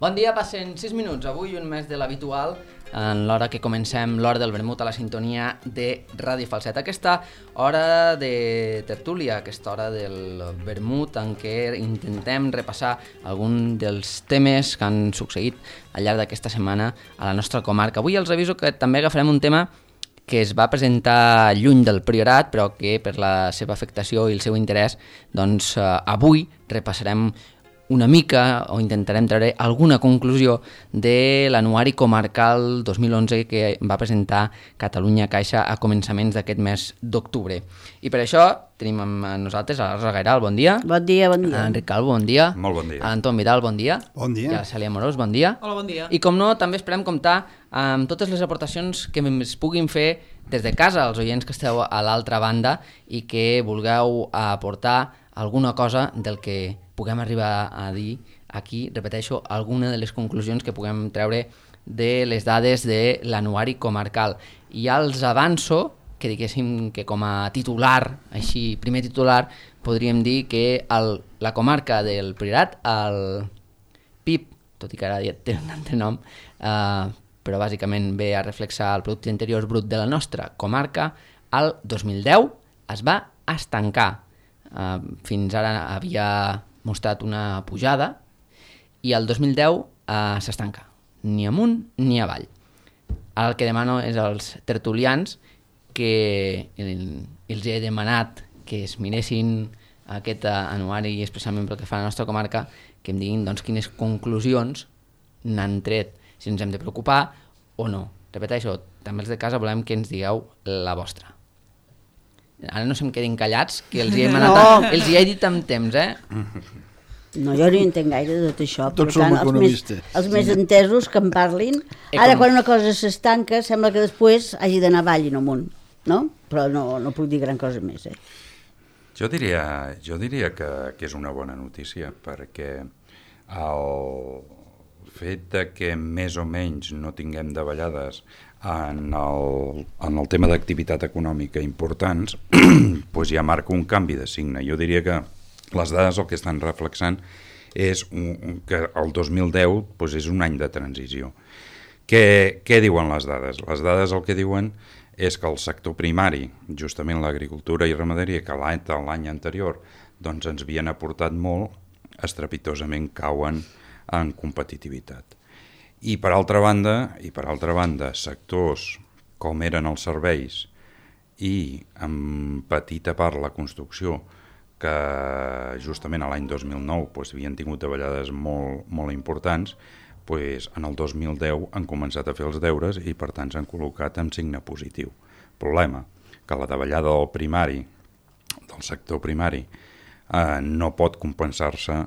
Bon dia, passen 6 minuts, avui un més de l'habitual, en l'hora que comencem l'hora del vermut a la sintonia de Ràdio Falset. Aquesta hora de tertúlia, aquesta hora del vermut en què intentem repassar algun dels temes que han succeït al llarg d'aquesta setmana a la nostra comarca. Avui els aviso que també agafarem un tema que es va presentar lluny del Priorat, però que per la seva afectació i el seu interès, doncs avui repassarem una mica o intentarem treure alguna conclusió de l'anuari comarcal 2011 que va presentar Catalunya Caixa a començaments d'aquest mes d'octubre. I per això tenim amb nosaltres a la Rosa Gairal, bon dia. Bon dia, bon dia. A Enric Calvo, bon dia. Molt bon dia. A Anton Vidal, bon dia. Bon dia. I a la Cèlia Morós, bon dia. Hola, bon dia. I com no, també esperem comptar amb totes les aportacions que es puguin fer des de casa, els oients que esteu a l'altra banda i que vulgueu aportar alguna cosa del que puguem arribar a dir aquí, repeteixo, alguna de les conclusions que puguem treure de les dades de l'anuari comarcal. I ja els avanço que diguéssim que com a titular, així, primer titular, podríem dir que la comarca del Priorat, el PIB, tot i que ara ja té un altre nom, però bàsicament ve a reflexar el producte interior brut de la nostra comarca, el 2010 es va estancar. Fins ara havia mostrat una pujada i el 2010 s'estanca, ni amunt ni avall. Ara el que demano és als tertulians que els he demanat que es miressin aquest anuari i especialment pel que fa a la nostra comarca, que em diguin doncs, quines conclusions n'han tret, si ens hem de preocupar o no. Repeteixo, també els de casa volem que ens digueu la vostra. Ara no se'm quedin callats, que els hi he dit amb temps, No, jo no hi entenc gaire de tot això. Tots som economistes. Els més entesos que en parlin. Ara, quan una cosa s'estanca, sembla que després hagi d'anar avall i no amunt, no? Però no puc dir gran cosa més, Jo diria que és una bona notícia, perquè el fet de que més o menys no tinguem davallades en el tema d'activitat econòmica importants, doncs ja marca un canvi de signe. Jo diria que les dades el que estan reflexant és que el 2010 doncs és un any de transició. Què diuen les dades? Les dades el que diuen és que el sector primari, justament l'agricultura i ramaderia, que l'any anterior doncs ens havien aportat molt, estrepitosament cauen en competitivitat. I per altra banda, sectors com eren els serveis i en petita part la construcció, que justament a l'any 2009 doncs, havien tingut davallades molt importants, doncs, en el 2010 han començat a fer els deures i per tant s'han col·locat en signe positiu. Problema, que la davallada del sector primari no pot compensar-se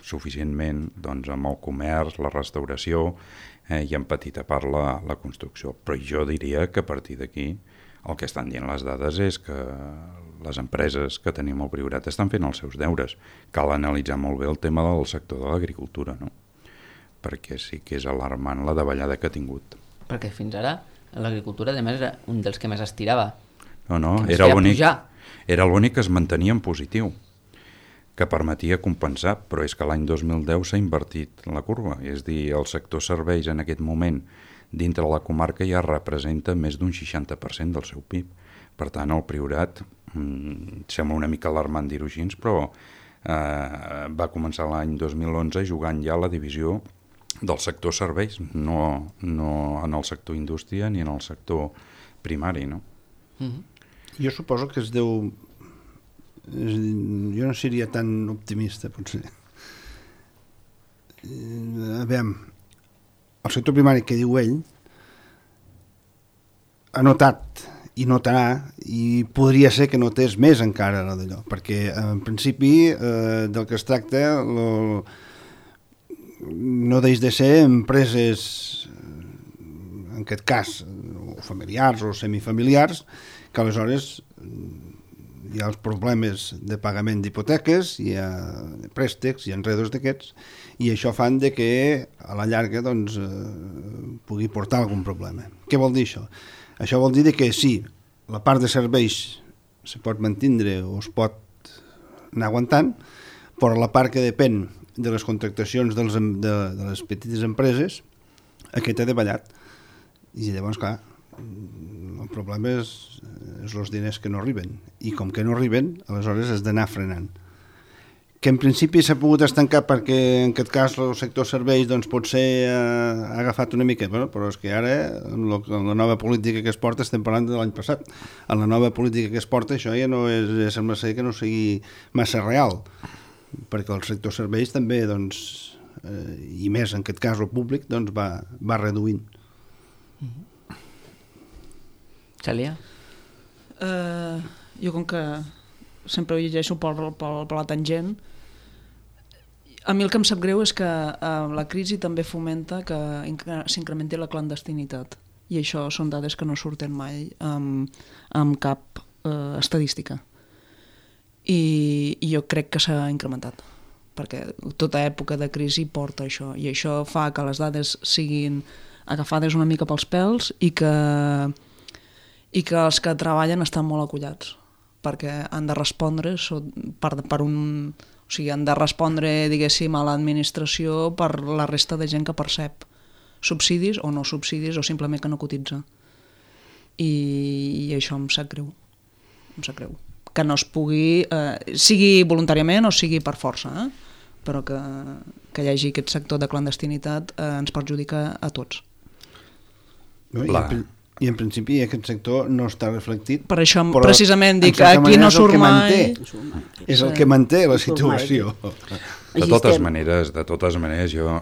suficientment doncs, amb el comerç, la restauració i en petita part la construcció. Però jo diria que a partir d'aquí el que estan dient les dades és que les empreses que tenim al Priorat estan fent els seus deures. Cal analitzar molt bé el tema del sector de l'agricultura, no? Perquè sí que és alarmant la davallada que ha tingut. Perquè fins ara l'agricultura, a més, era un dels que més estirava. No, que era l'únic que es mantenia en positiu, que permetia compensar, però és que l'any 2010 s'ha invertit la curva, és a dir, el sector serveis en aquest moment dintre la comarca ja representa més d'un 60% del seu PIB. Per tant, el Priorat, sembla una mica alarmant dir-ho així, però va començar l'any 2011 jugant ja a la divisió del sector serveis, no en el sector indústria ni en el sector primari, no? Jo suposo que es deu... Jo no seria tan optimista, potser. Aviam, el sector primari que diu ell ha notat i notarà, i podria ser que notés més encara d'allò, perquè en principi del que es tracta no deix de ser empreses, en aquest cas, o familiars o semifamiliars, que aleshores hi ha els problemes de pagament d'hipoteques, hi ha préstecs i enredos d'aquests, i això fan de que a la llarga doncs, pugui portar algun problema. Què vol dir això? Això vol dir que sí, la part de serveis se pot mantindre o es pot anar aguantant, però la part que depèn de les contractacions de les petites empreses, aquest ha davallat. I llavors, clar, el problema és els diners que no arriben. I com que no arriben, aleshores has d'anar frenant. Que en principi s'ha pogut estancar perquè en aquest cas el sector serveis doncs, potser ha agafat una mica, però és que ara en la nova política que es porta, estem parlant de l'any passat, en la nova política que es porta això ja no és, ja sembla ser que no sigui massa real, perquè el sector serveis també doncs, i més en aquest cas el públic doncs, va reduint. Cèlia? Jo com que sempre ho llegeixo per la tangent, a mi el que em sap greu és que la crisi també fomenta que s'incrementi la clandestinitat, i això són dades que no surten mai amb cap estadística, i jo crec que s'ha incrementat perquè tota època de crisi porta això, i això fa que les dades siguin agafades una mica pels pèls i que els que treballen estan molt acollats perquè han de respondre han de respondre, diguéssim, a l'administració per la resta de gent que percep subsidis o no subsidis o simplement que no cotitza. I això em sap greu. Que no es pugui, sigui voluntàriament o sigui per força, però que hi hagi aquest sector de clandestinitat ens perjudica a tots. I en principi aquest sector no està reflectit. Per això precisament dic que aquí no surt mai. És el que manté la situació. De totes maneres, jo,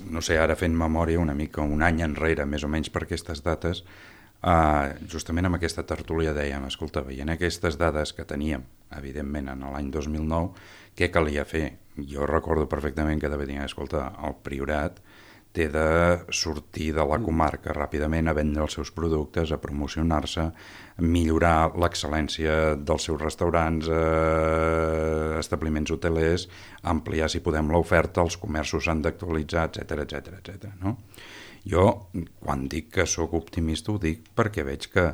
no sé, ara fent memòria una mica un any enrere, més o menys per aquestes dates, justament amb aquesta tertúlia dèiem, escolta, veient aquestes dades que teníem, evidentment, en l'any 2009, què calia fer? Jo recordo perfectament que devia dir, escolta, el Priorat té de sortir de la comarca ràpidament a vendre els seus productes, a promocionar-se, a millorar l'excel·lència dels seus restaurants, establiments hotelers, ampliar, si podem, l'oferta, els comerços s'han d'actualitzar, etc. No? Jo, quan dic que sóc optimista, ho dic perquè veig que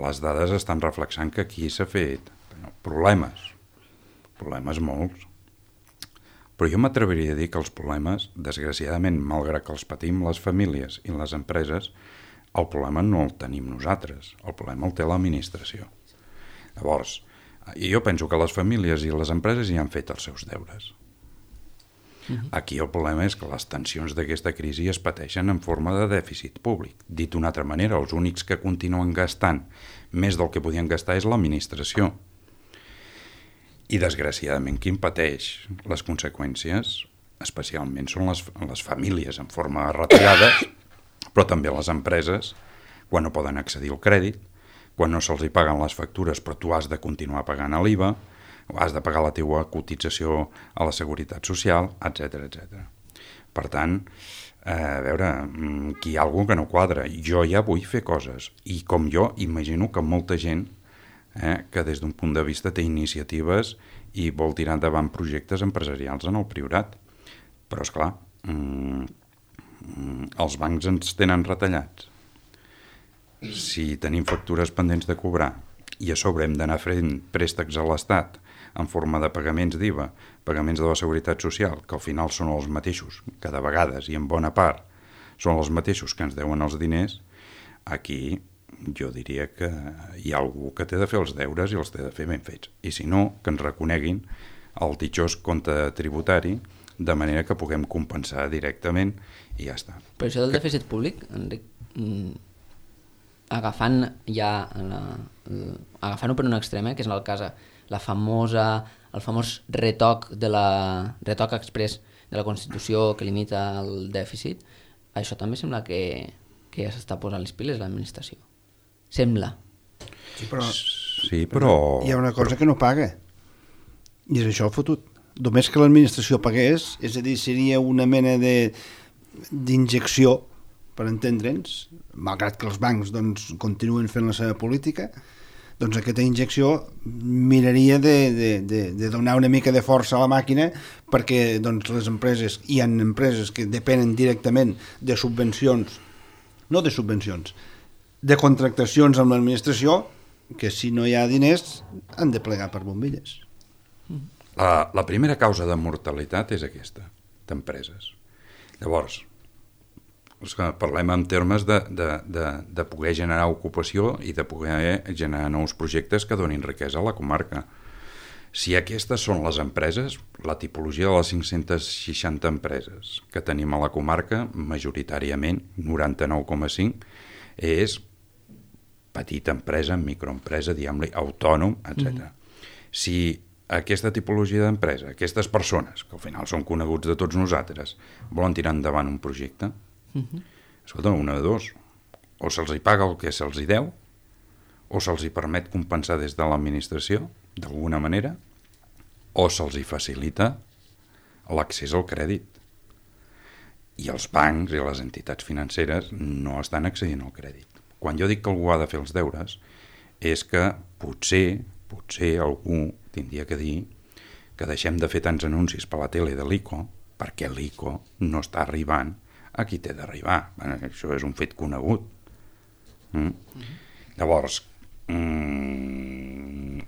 les dades estan reflexant que aquí s'ha fet problemes molts. Però jo m'atreviria a dir que els problemes, desgraciadament, malgrat que els patim les famílies i les empreses, el problema no el tenim nosaltres, el problema el té l'administració. Llavors, jo penso que les famílies i les empreses ja han fet els seus deures. Aquí el problema és que les tensions d'aquesta crisi es pateixen en forma de dèficit públic. Dit d'una altra manera, els únics que continuen gastant més del que podien gastar és l'administració. I, desgraciadament, qui en pateix les conseqüències, especialment, són les famílies en forma de retallades, però també les empreses, quan no poden accedir al crèdit, quan no se'ls hi paguen les factures, però tu has de continuar pagant l'IVA, o has de pagar la teua cotització a la Seguretat Social, etc. Per tant, a veure, aquí hi ha alguna cosa que no quadra. Jo ja vull fer coses, i com jo, imagino que molta gent que des d'un punt de vista té iniciatives i vol tirar endavant projectes empresarials en el Priorat. Però, esclar, els bancs ens tenen retallats. Si tenim factures pendents de cobrar i a sobre hem d'anar fent préstecs a l'Estat en forma de pagaments d'IVA, pagaments de la Seguretat Social, que al final són els mateixos, que de vegades i en bona part són els mateixos que ens deuen els diners, aquí jo diria que hi ha algú que té de fer els deures i els té de fer ben fets. I si no, que ens reconeguin el ditxós compte tributari de manera que puguem compensar directament i ja està. Però això del dèficit públic, Enric, agafant agafant-ho per un extrem, que és en el cas el famós retoc express de la Constitució que limita el dèficit, això també sembla que ja s'està posant les piles l'administració. Sembla. Sí, però hi ha una cosa que no paga, i és això el fotut. Només que l'administració pagués, és a dir, seria una mena d'injecció, per entendre'ns, malgrat que els bancs doncs, continuen fent la seva política, doncs aquesta injecció miraria de donar una mica de força a la màquina perquè doncs, les empreses, hi ha empreses que depenen directament de subvencions, de contractacions amb l'administració, que si no hi ha diners han de plegar per bombilles. La primera causa de mortalitat és aquesta. d'empreses. Llavors, parlem en termes de poder generar ocupació i de poder generar nous projectes que donin riquesa a la comarca. Si aquestes són les empreses, la tipologia de les 560 empreses que tenim a la comarca, majoritàriament, 99,5, és petita empresa, microempresa, diguem-li, autònom, etc. Si aquesta tipologia d'empresa, aquestes persones, que al final són coneguts de tots nosaltres, volen tirar endavant un projecte, escolta, una de dos, o se'ls hi paga el que se'ls hi deu, o se'ls hi permet compensar des de l'administració, d'alguna manera, o se'ls hi facilita l'accés al crèdit. I els bancs i les entitats financeres no estan accedint al crèdit. Quan jo dic que algú ha de fer els deures, és que potser algú tindria que dir que deixem de fer tants anuncis per la tele de l'ICO, perquè l'ICO no està arribant a qui té d'arribar. Això és un fet conegut. Llavors,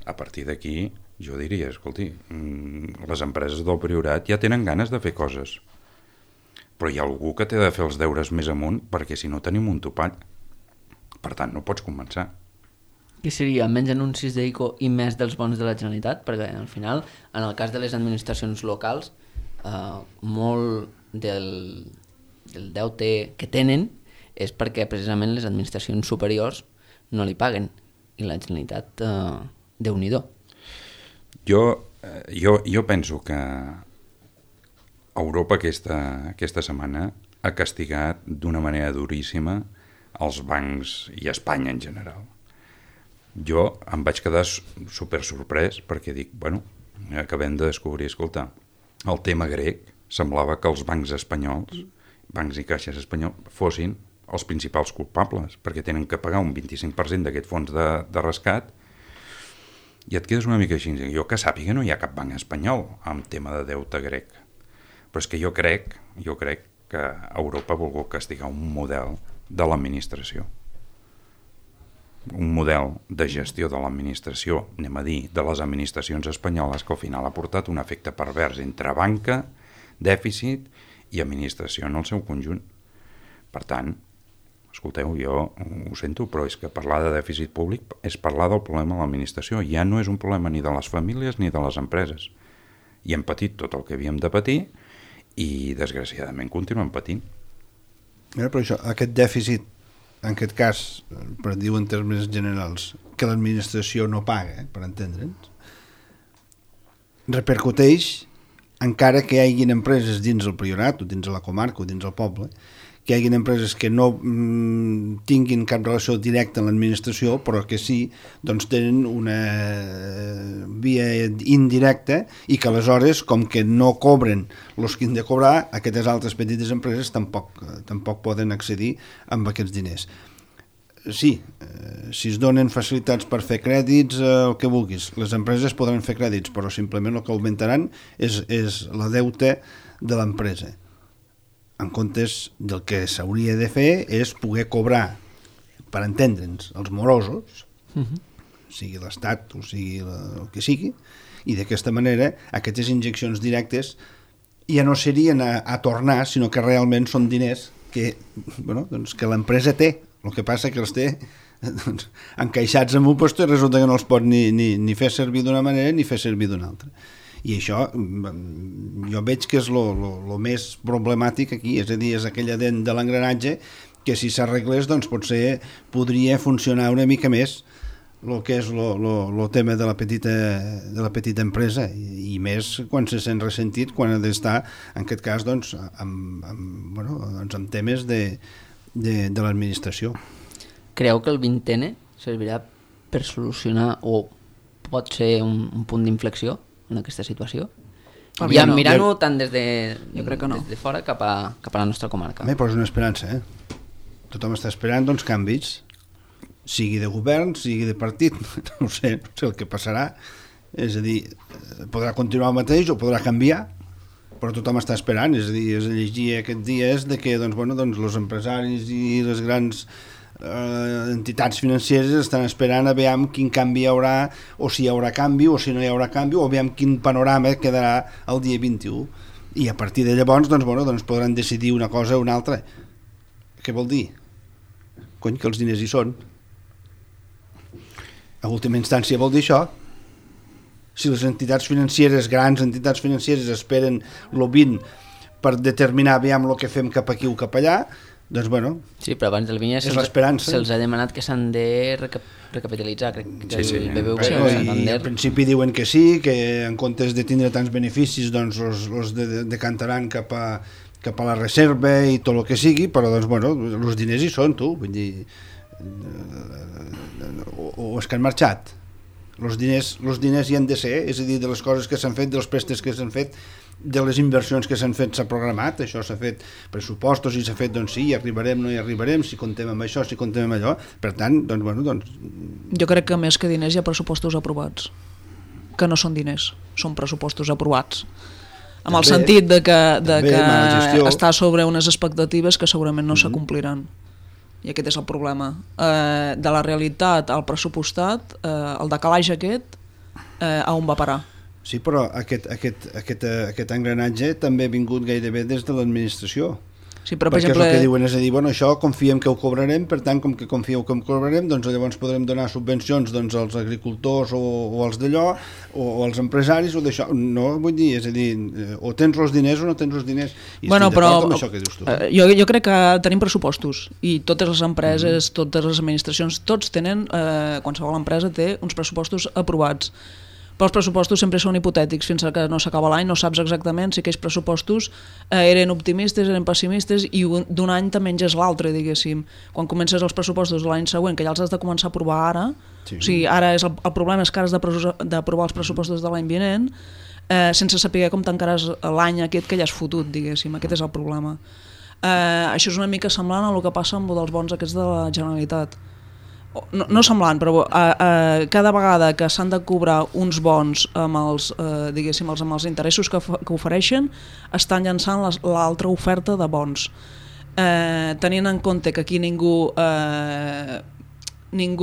a partir d'aquí, jo diria, escolti, les empreses del Priorat ja tenen ganes de fer coses, però hi ha algú que té de fer els deures més amunt, perquè si no tenim un topall. Per tant, no pots començar. Què seria? Menys anuncis d'ICO i més dels bons de la Generalitat? Perquè al final, en el cas de les administracions locals, molt del deute que tenen és perquè precisament les administracions superiors no li paguen, i la Generalitat, Déu-n'hi-do. Jo penso que Europa aquesta setmana ha castigat d'una manera duríssima els bancs i Espanya en general. Jo em vaig quedar super sorprès perquè dic, acabem de descobrir, escolta, el tema grec semblava que els bancs espanyols, bancs i caixes espanyols, fossin els principals culpables, perquè tenen que pagar un 25% d'aquest fons de rescat, i et quedes una mica així. Jo que sàpiga no hi ha cap banc espanyol amb tema de deute grec, però és que jo crec que Europa ha volgut castigar un model de l'administració, un model de gestió de l'administració, anem a dir, de les administracions espanyoles, que al final ha portat un efecte pervers entre banca, dèficit i administració en el seu conjunt. Per tant, escolteu, jo ho sento, però és que parlar de dèficit públic és parlar del problema de l'administració. Ja no és un problema ni de les famílies ni de les empreses. I hem patit tot el que havíem de patir i, desgraciadament, continuem patint. Però això, aquest dèficit, en aquest cas, per dir-ho en termes generals, que l'administració no paga, per entendre'ns, repercuteix encara que hi hagin empreses dins el Priorat o dins la comarca o dins el poble, que hi hagin empreses que no tinguin cap relació directa amb l'administració, però que sí, doncs tenen una via indirecta i que aleshores, com que no cobren els que han de cobrar, aquestes altres petites empreses tampoc poden accedir amb aquests diners. Sí, si es donen facilitats per fer crèdits, el que vulguis, les empreses podran fer crèdits, però simplement el que augmentaran és la deute de l'empresa. En comptes del que s'hauria de fer és poder cobrar, per entendre'ns, els morosos, sigui l'Estat o sigui el que sigui, i d'aquesta manera aquestes injeccions directes ja no serien a tornar, sinó que realment són diners que l'empresa té. El que passa que els té encaixats en un lloc i resulta que no els pot ni fer servir d'una manera ni fer servir d'una altra. I això jo veig que és el més problemàtic aquí, és a dir, és aquella dent de l'engranatge que si s'arreglés doncs potser podria funcionar una mica més el que és el tema de la petita empresa, i més quan se sent ressentit, quan ha d'estar, en aquest cas, doncs, amb temes de l'administració. Creu que el 20N servirà per solucionar o pot ser un punt d'inflexió en aquesta situació? Ja mirant-ho tant des de fora cap a la nostra comarca. Però és una esperança, Tothom està esperant canvis, sigui de govern, sigui de partit, no sé el que passarà, és a dir, podrà continuar el mateix o podrà canviar, però tothom està esperant, és a dir, es llegia aquests dies de que els empresaris i les grans entitats financeres estan esperant a veure quin canvi hi haurà, o si hi haurà canvi o si no hi haurà canvi, o a veure quin panorama quedarà el dia 21. I a partir de llavors doncs podran decidir una cosa o una altra. Què vol dir? Cony, que els diners hi són. A última instància vol dir això. Si les entitats financeres, grans entitats financeres, esperen el 20 per determinar aviam el que fem cap aquí o cap allà, doncs sí, però abans del Vinya és l'esperança. Se'ls ha demanat que s'han de recapitalitzar, crec que el BBVA i al principi diuen que sí, que en comptes de tindre tants beneficis doncs els decantaran cap a la reserva i tot el que sigui, però doncs els diners hi són, tu, vull dir, o és que han marxat. Els diners hi han de ser, és a dir, de les coses que s'han fet, dels préstecs que s'han fet, de les inversions que s'han fet, s'ha programat, això s'ha fet pressupostos i s'ha fet, doncs sí, hi arribarem, no hi arribarem, si comptem amb això, si comptem amb allò, per tant, doncs... Jo crec que més que diners hi ha pressupostos aprovats, que no són diners, són pressupostos aprovats, amb el sentit de que està sobre unes expectatives que segurament no s'acompliran. I aquest és el problema. De la realitat al pressupostat, el decalatge aquest, a on va parar? Sí, però aquest engranatge també ha vingut gairebé des de l'administració. Sí, però, perquè exemple, és el que diuen, és a dir, això confiem que ho cobrarem, per tant, com que confieu que ho cobrarem, doncs llavors podrem donar subvencions als agricultors o als d'allò, o als empresaris, o d'això. No, vull dir, és a dir, o tens els diners o no tens els diners. I estic d'acord amb això que dius tu. Jo crec que tenim pressupostos, i totes les empreses, totes les administracions, tots tenen, qualsevol empresa té uns pressupostos aprovats. Però els pressupostos sempre són hipotètics, fins que no s'acaba l'any, no saps exactament si aquells pressupostos eren optimistes, eren pessimistes, i d'un any te menges l'altre, diguéssim. Quan comences els pressupostos de l'any següent, que ja els has de començar a aprovar ara, sí. O sigui, ara el problema és que ara has d'aprovar els pressupostos de l'any vinent, sense saber com tancaràs l'any aquest que ja has fotut, diguéssim. Aquest és el problema. Això és una mica semblant a el que passa amb els bons aquests de la Generalitat. No semblant, però cada vegada que s'han de cobrar uns bons amb els, diguéssim, amb els interessos que ofereixen, estan llançant l'altra oferta de bons. Tenint en compte que aquí ningú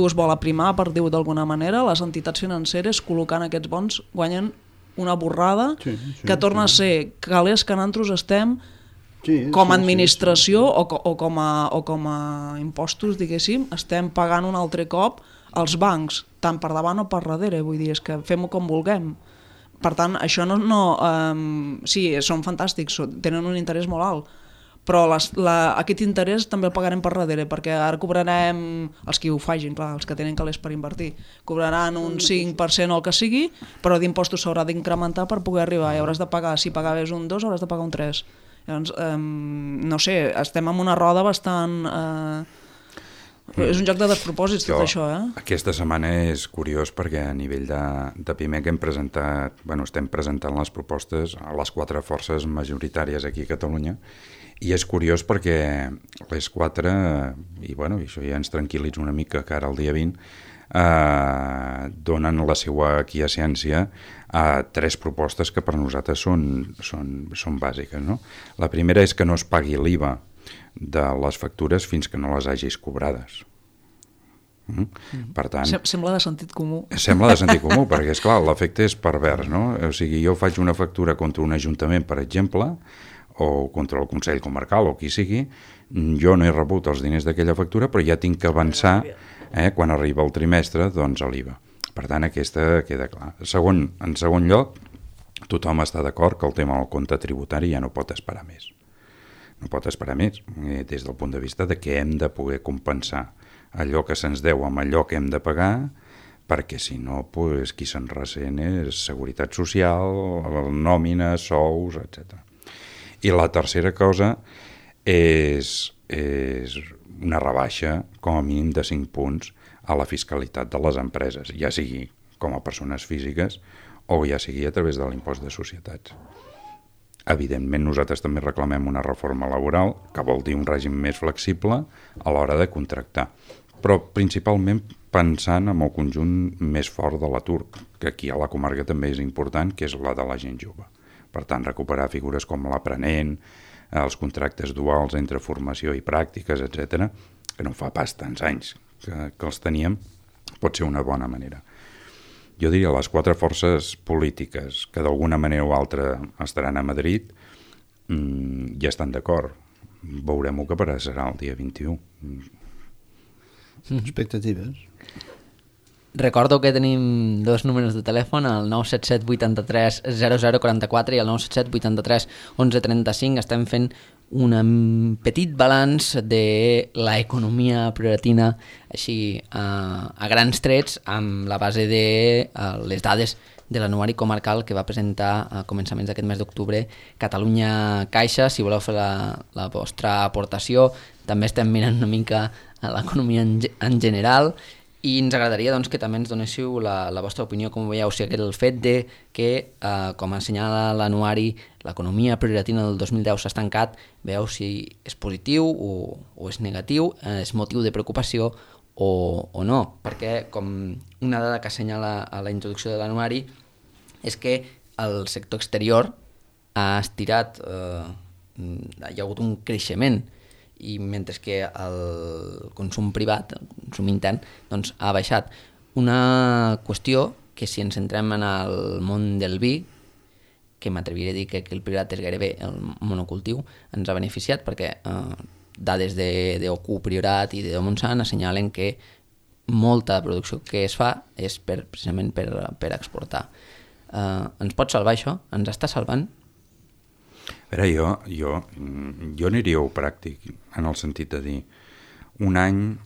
es vol aprimar, per dir-ho d'alguna manera, les entitats financeres col·locant aquests bons guanyen una borrada que torna a ser calés que nosaltres estem com a administració o com a impostos, diguéssim, estem pagant un altre cop als bancs, tant per davant o per darrere, vull dir, és que fem-ho com vulguem. Per tant, això sí, són fantàstics, tenen un interès molt alt, però aquest interès també el pagarem per darrere, perquè ara cobrarem, els que ho facin, clar, els que tenen calés per invertir, cobraran un 5% o el que sigui, però d'impostos s'haurà d'incrementar per poder arribar, i hauràs de pagar, si pagaves un 2, hauràs de pagar un 3. Llavors, no sé, estem en una roda bastant... És un joc de despropòsits tot això, Aquesta setmana és curiós perquè a nivell de PIMEC estem presentant les propostes a les 4 forces majoritàries aquí a Catalunya, i és curiós perquè les 4, i això ja ens tranquil·litza una mica que ara el dia 20, donen la seva aquiescència a 3 propostes que per nosaltres són bàsiques. No? La primera és que no es pagui l'IVA de les factures fins que no les hagis cobrades. Per tant, sembla de sentit comú. Sembla de sentit comú, perquè és clar, l'efecte és pervers, no? O sigui, jo faig una factura contra un ajuntament, per exemple, o contra el Consell Comarcal o qui sigui, jo no he rebut els diners d'aquella factura, però ja tinc que avançar quan arriba el trimestre, doncs a l'IVA. Per tant, aquesta queda clar. En segon lloc, tothom està d'acord que el tema del compte tributari ja no pot esperar més. No pot esperar més, des del punt de vista de que hem de poder compensar allò que se'ns deu amb allò que hem de pagar, perquè si no, qui se'n ressent és seguretat social, nòmina, sous, etc. I la tercera cosa és una rebaixa, com a mínim de 5 punts, a la fiscalitat de les empreses, ja sigui com a persones físiques o ja sigui a través de l'impost de societats. Evidentment, nosaltres també reclamem una reforma laboral, que vol dir un règim més flexible a l'hora de contractar, però principalment pensant en el conjunt més fort de l'atur, que aquí a la comarca també és important, que és la de la gent jove. Per tant, recuperar figures com l'aprenent, els contractes duals entre formació i pràctiques, etc., que no fa pas tants anys que els teníem, pot ser una bona manera. Jo diria les 4 forces polítiques que d'alguna manera o altra estaran a Madrid, ja estan d'acord. Veurem què serà el dia 21. Expectatives. Recordo que tenim dos números de telèfon, el 977 83 0044 i el 977 83 1135. Estem fent un petit balanç de l'economia prioratina així a grans trets amb la base de les dades de l'anuari comarcal que va presentar a començaments d'aquest mes d'octubre Catalunya Caixa. Si voleu fer la vostra aportació, també estem mirant una mica a l'economia en general i ens agradaria doncs, que també ens donéssiu la vostra opinió, com veieu, si el fet de que, com assenyala l'anuari, l'economia prioratina del 2010 s'ha estancat, veieu si és positiu o és negatiu, és motiu de preocupació o no, perquè com una dada que assenyala a la introducció de l'anuari és que el sector exterior ha estirat, hi ha hagut un creixement, i mentre que el consum privat, el consum intern, doncs ha baixat. Una qüestió que si ens centrem en el món del vi, que m'atreviré a dir que el privat és gairebé el monocultiu, ens ha beneficiat perquè dades d'OQ Priorat i de Montsant assenyalen que molta producció que es fa és precisament per exportar. Ens pot salvar això? Ens està salvant? A veure, jo aniria pràctic en el sentit de dir un any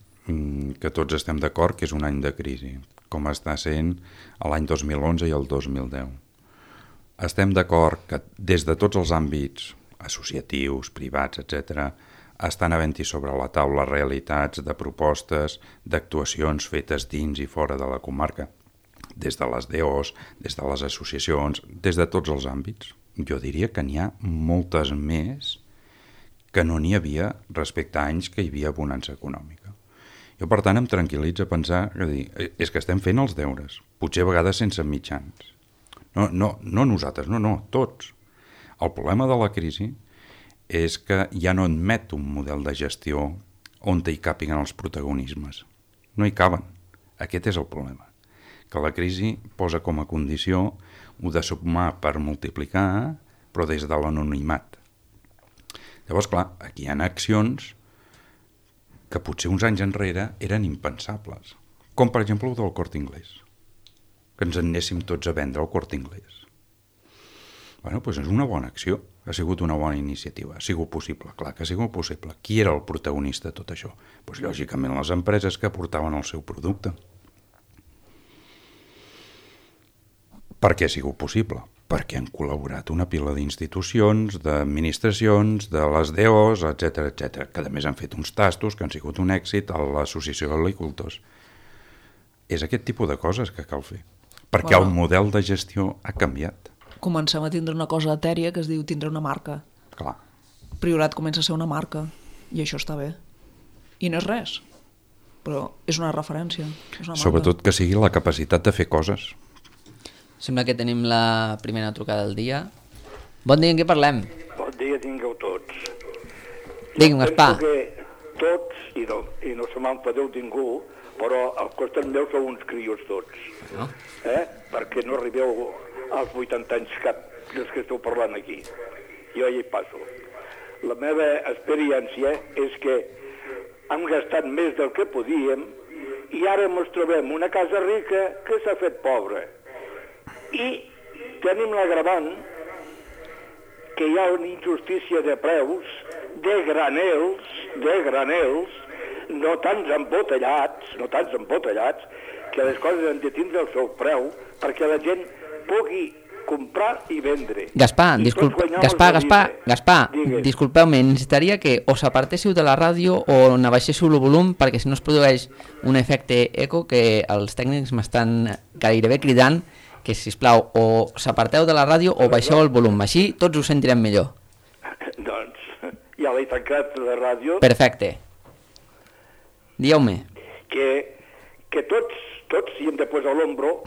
que tots estem d'acord que és un any de crisi, com està sent l'any 2011 i el 2010. Estem d'acord que des de tots els àmbits associatius, privats, etc., estan havent-hi sobre la taula realitats de propostes, d'actuacions fetes dins i fora de la comarca, des de les DOs, des de les associacions, des de tots els àmbits. Jo diria que n'hi ha moltes més que no n'hi havia respecte a anys que hi havia bonança econòmica. Jo, per tant, em tranquil·litza pensar que és que estem fent els deures, potser a vegades sense mitjans. No nosaltres, no, tots. El problema de la crisi és que ja no admet un model de gestió on hi càpiguen els protagonismes. No hi caben. Aquest és el problema. Que la crisi posa com a condició ho de sumar per multiplicar, però des de l'anonimat. Llavors, clar, aquí hi ha accions que potser uns anys enrere eren impensables, com per exemple el del Corte Inglés, que ens en anéssim tots a vendre el Corte Inglés. Bueno, doncs és una bona acció, ha sigut una bona iniciativa, ha sigut possible, clar que ha sigut possible. Qui era el protagonista de tot això? Doncs lògicament les empreses que aportaven el seu producte. Per què ha sigut possible? Perquè han col·laborat una pila d'institucions, d'administracions, de les DOs, etc, que a més han fet uns tastos que han sigut un èxit a l'Associació d'Agricultors. És aquest tipus de coses que cal fer, perquè el model de gestió ha canviat. Comencem a tindre una cosa etèria que es diu tindre una marca. Clar. Priorat comença a ser una marca, i això està bé. I no és res, però és una referència. És una marca. Sobretot que sigui la capacitat de fer coses. Sembla que tenim la primera trucada del dia. Bon dia, en què parlem? Bon dia tingueu tots. Digue'm, Gaspar. Penso que tots, i no se m'enfadeu ningú, però al costat meu sou uns crios tots. No? Perquè no arribeu als 80 anys cap dels que esteu parlant aquí. Jo ja hi passo. La meva experiència és que hem gastat més del que podíem i ara ens trobem una casa rica que s'ha fet pobra. I tenim l'agravant que hi ha una injustícia de preus, de granels, no tants embotellats, que les coses han de tindre el seu preu perquè la gent pugui comprar i vendre. Gaspar, disculpeu-me, necessitaria que o s'apartéssiu de la ràdio o n'abaixéssiu el volum perquè si no es produeix un efecte eco que els tècnics m'estan gairebé cridant que, sisplau, o s'aparteu de la ràdio o baixeu el volum. Així tots ho sentirem millor. Doncs ja l'he tancat la ràdio. Perfecte. Dieu-me. Que tots hi hem de posar l'ombro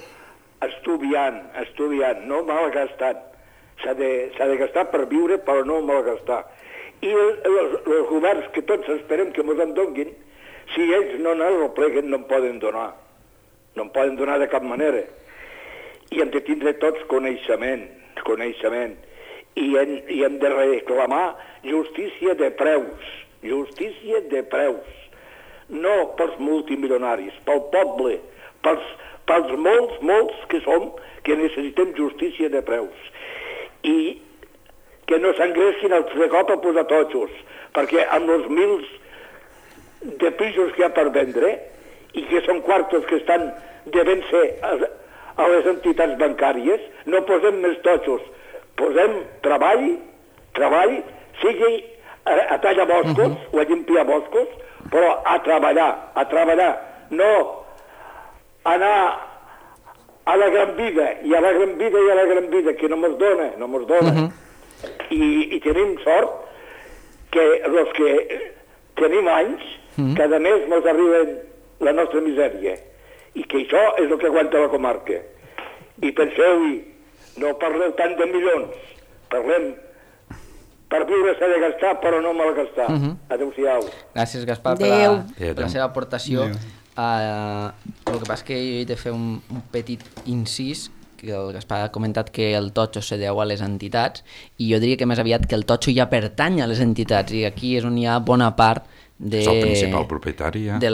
estudiant, no malgastant. S'ha de gastar per viure, però no malgastar. I els governs que tots esperem que ens en donguin, si ells no arrepleguen, no en poden donar. No en poden donar de cap manera. I hem de tindre tots coneixement. i hem de reclamar justícia de preus, no pels multimilionaris, pel poble, pels molts que som, que necessitem justícia de preus. I que no s'engresquin altre cop a posar totxos, perquè amb els mils de pisos que hi ha per vendre, i que són quartos que estan devent ser a les entitats bancàries, no posem més totxos, posem treball, sigui a tallar boscos o a limpiar boscos, però a treballar, no anar a la gran vida, que no mos dona. I tenim sort que els que tenim anys, cada mes mos arriben la nostra misèria, i que això és el que aguanta la comarca. I penseu-hi, no parleu tant de milions, parlem per viure s'ha de gastar, però no malgastar. Adéu-siau. Gràcies, Gaspar, per la seva aportació. El que passa és que jo he de fer un petit incís, que el Gaspar ha comentat que el totxo se deu a les entitats, i jo diria que més aviat que el totxo ja pertany a les entitats, i aquí és on hi ha bona part és el principal propietari, de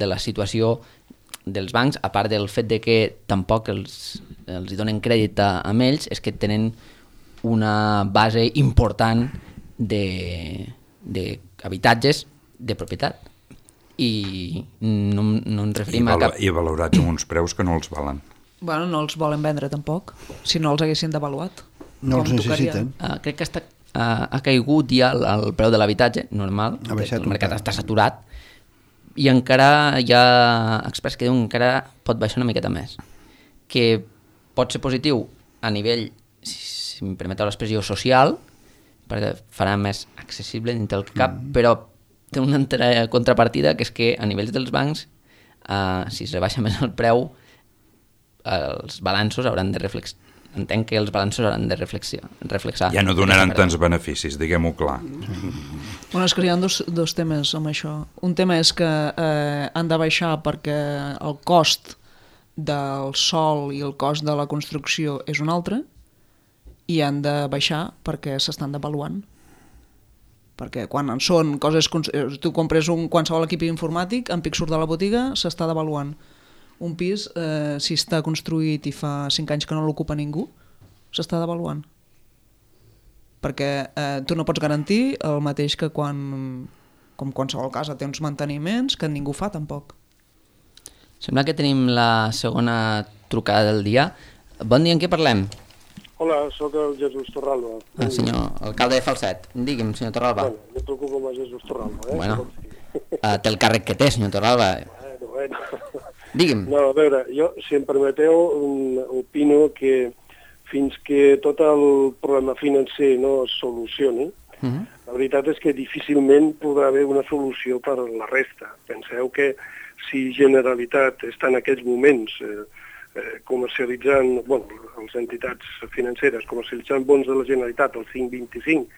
la situació dels bancs, a part del fet de que tampoc els hi donen crèdit a ells, és que tenen una base important d'habitatges de propietat, i no ens referim a cap... I valorats amb uns preus que no els valen. Bueno, no els volen vendre tampoc, si no els haguessin devaluat. No els necessiten. Crec que ha caigut ja el preu de l'habitatge, normal, el mercat està saturat, i encara hi ha experts que diuen que encara pot baixar una miqueta més, que pot ser positiu a nivell, si em permeteu l'expressió, social, perquè farà més accessible dintre el cap, però té una altra contrapartida, que és que a nivells dels bancs, si es rebaixa més el preu, els balanços hauran de reflexionar. Entenc que els balanços hauran de reflexar. Ja no donaran tants beneficis, diguem-ho clar. Bueno, és que hi ha dos temes amb això. Un tema és que han de baixar perquè el cost del sòl i el cost de la construcció és un altre, i han de baixar perquè s'estan devaluant. Perquè quan són coses... Tu compres qualsevol equip informàtic, en pic surt de la botiga, s'està devaluant. Un pis, si està construït i fa 5 anys que no l'ocupa ningú, s'està devaluant. Perquè tu no pots garantir el mateix que com qualsevol casa té uns manteniments que ningú fa tampoc. Sembla que tenim la segona trucada del dia. Bon dia, en què parlem? Hola, sóc el Jesús Torralba. Senyor alcalde de Falset. Digui'm, senyor Torralba. Bueno, jo truco com a Jesús Torralba. Bueno, té el càrrec que té, senyor Torralba. Bueno. Digui'm. No, a veure, jo, si em permeteu, opino que fins que tot el problema financer no es solucioni, la veritat és que difícilment podrà haver una solució per la resta. Penseu que si Generalitat està en aquests moments comercialitzant, les entitats financeres comercialitzant bons de la Generalitat al 5,25,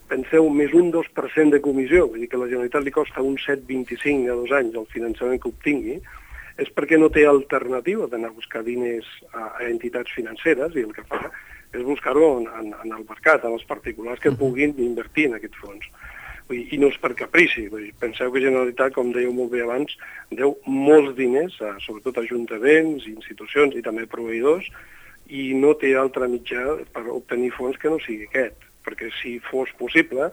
penseu més un 2% de comissió, vull dir que a la Generalitat li costa un 7,25 a 2 anys el finançament que obtingui, és perquè no té alternativa d'anar a buscar diners a entitats financeres, i el que fa és buscar-ho en el mercat, en els particulars que puguin invertir en aquests fons. I no és per caprici. Penseu que Generalitat, com dèieu molt bé abans, deu molts diners, sobretot a ajuntaments, institucions i també proveïdors, i no té altre mitjà per obtenir fons que no sigui aquest, perquè si fos possible